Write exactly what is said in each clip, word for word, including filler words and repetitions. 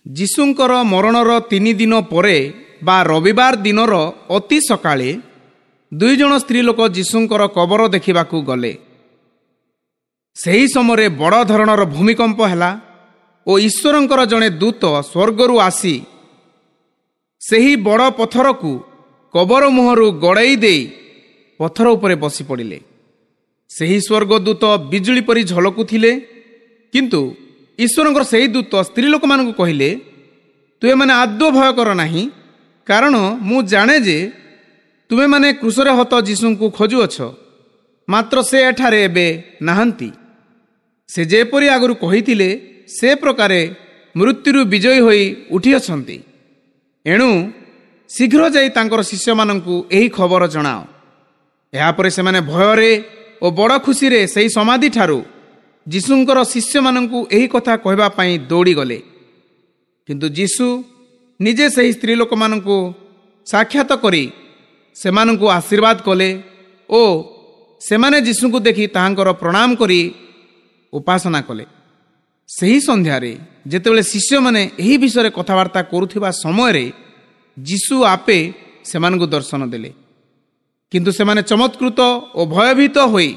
ଯୀଶୁଙ୍କର ମରଣର ତିନି ଦିନ ପରେ ବା ରବିବାର ଦିନର ଅତି ସକାଳେ ଦୁଇ ଜଣ ସ୍ତ୍ରୀ ଲୋକ ଯୀଶୁଙ୍କର କବର ଦେଖିବାକୁ ଗଲେ। ସେହି ସମୟରେ ବଡ଼ ଧରଣର ଭୂମିକମ୍ପ ହେଲା ଓ ଈଶ୍ୱରଙ୍କର ଜଣେ ଦୂତ ସ୍ୱର୍ଗରୁ ଆସି ସେହି ବଡ଼ ପଥରକୁ କବର ମୁହଁରୁ ଗଡ଼େଇ ଦେଇ ପଥର ଉପରେ ବସି ପଡ଼ିଲେ। ସେହି ସ୍ୱର୍ଗଦୂତ ବିଜୁଳି ପରି ଝଲକୁଥିଲେ। କିନ୍ତୁ ଈଶ୍ୱରଙ୍କର ସେହି ଦୂତ ସ୍ତ୍ରୀ ଲୋକମାନଙ୍କୁ କହିଲେ, ତୁମେମାନେ ଆଦୌ ଭୟ କର ନାହିଁ, କାରଣ ମୁଁ ଜାଣେ ଯେ ତୁମେମାନେ କ୍ରୁଶରେ ହତ ଯୀଶୁଙ୍କୁ ଖୋଜୁଅଛ। ମାତ୍ର ସେ ଏଠାରେ ଏବେ ନାହାନ୍ତି। ସେ ଯେପରି ଆଗରୁ କହିଥିଲେ ସେ ପ୍ରକାରେ ମୃତ୍ୟୁରୁ ବିଜୟୀ ହୋଇ ଉଠିଅଛନ୍ତି। ଏଣୁ ଶୀଘ୍ର ଯାଇ ତାଙ୍କର ଶିଷ୍ୟମାନଙ୍କୁ ଏହି ଖବର ଜଣାଅ। ଏହାପରେ ସେମାନେ ଭୟରେ ଓ ବଡ଼ ଖୁସିରେ ସେହି ସମାଧିଠାରୁ ଯୀଶୁଙ୍କର ଶିଷ୍ୟମାନଙ୍କୁ ଏହି କଥା କହିବା ପାଇଁ ଦୌଡ଼ିଗଲେ। କିନ୍ତୁ ଯୀଶୁ ନିଜେ ସେହି ସ୍ତ୍ରୀ ଲୋକମାନଙ୍କୁ ସାକ୍ଷାତ କରି ସେମାନଙ୍କୁ ଆଶୀର୍ବାଦ କଲେ ଓ ସେମାନେ ଯୀଶୁଙ୍କୁ ଦେଖି ତାହାଙ୍କର ପ୍ରଣାମ କରି ଉପାସନା କଲେ। ସେହି ସନ୍ଧ୍ୟାରେ ଯେତେବେଳେ ଶିଷ୍ୟମାନେ ଏହି ବିଷୟରେ କଥାବାର୍ତ୍ତା କରୁଥିବା ସମୟରେ ଯୀଶୁ ଆପେ ସେମାନଙ୍କୁ ଦର୍ଶନ ଦେଲେ। କିନ୍ତୁ ସେମାନେ ଚମତ୍କୃତ ଓ ଭୟଭୀତ ହୋଇ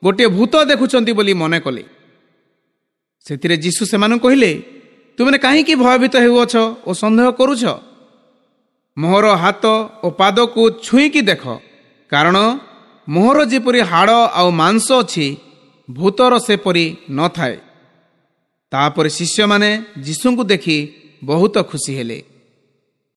ଗୋଟିଏ ଭୂତ ଦେଖୁଛନ୍ତି ବୋଲି ମନେ କଲେ। ସେଥିରେ ଯୀଶୁ ସେମାନଙ୍କୁ କହିଲେ, ତୁମେ କାହିଁକି ଭୟଭୀତ ହେଉଅଛ ଓ ସନ୍ଦେହ କରୁଛ? ମୋହର ହାତ ଓ ପାଦକୁ ଛୁଇଁକି ଦେଖ, କାରଣ ମୋହର ଯେପରି ହାଡ଼ ଆଉ ମାଂସ ଅଛି, ଭୂତର ସେପରି ନଥାଏ। ତାପରେ ଶିଷ୍ୟମାନେ ଯୀଶୁଙ୍କୁ ଦେଖି ବହୁତ ଖୁସି ହେଲେ।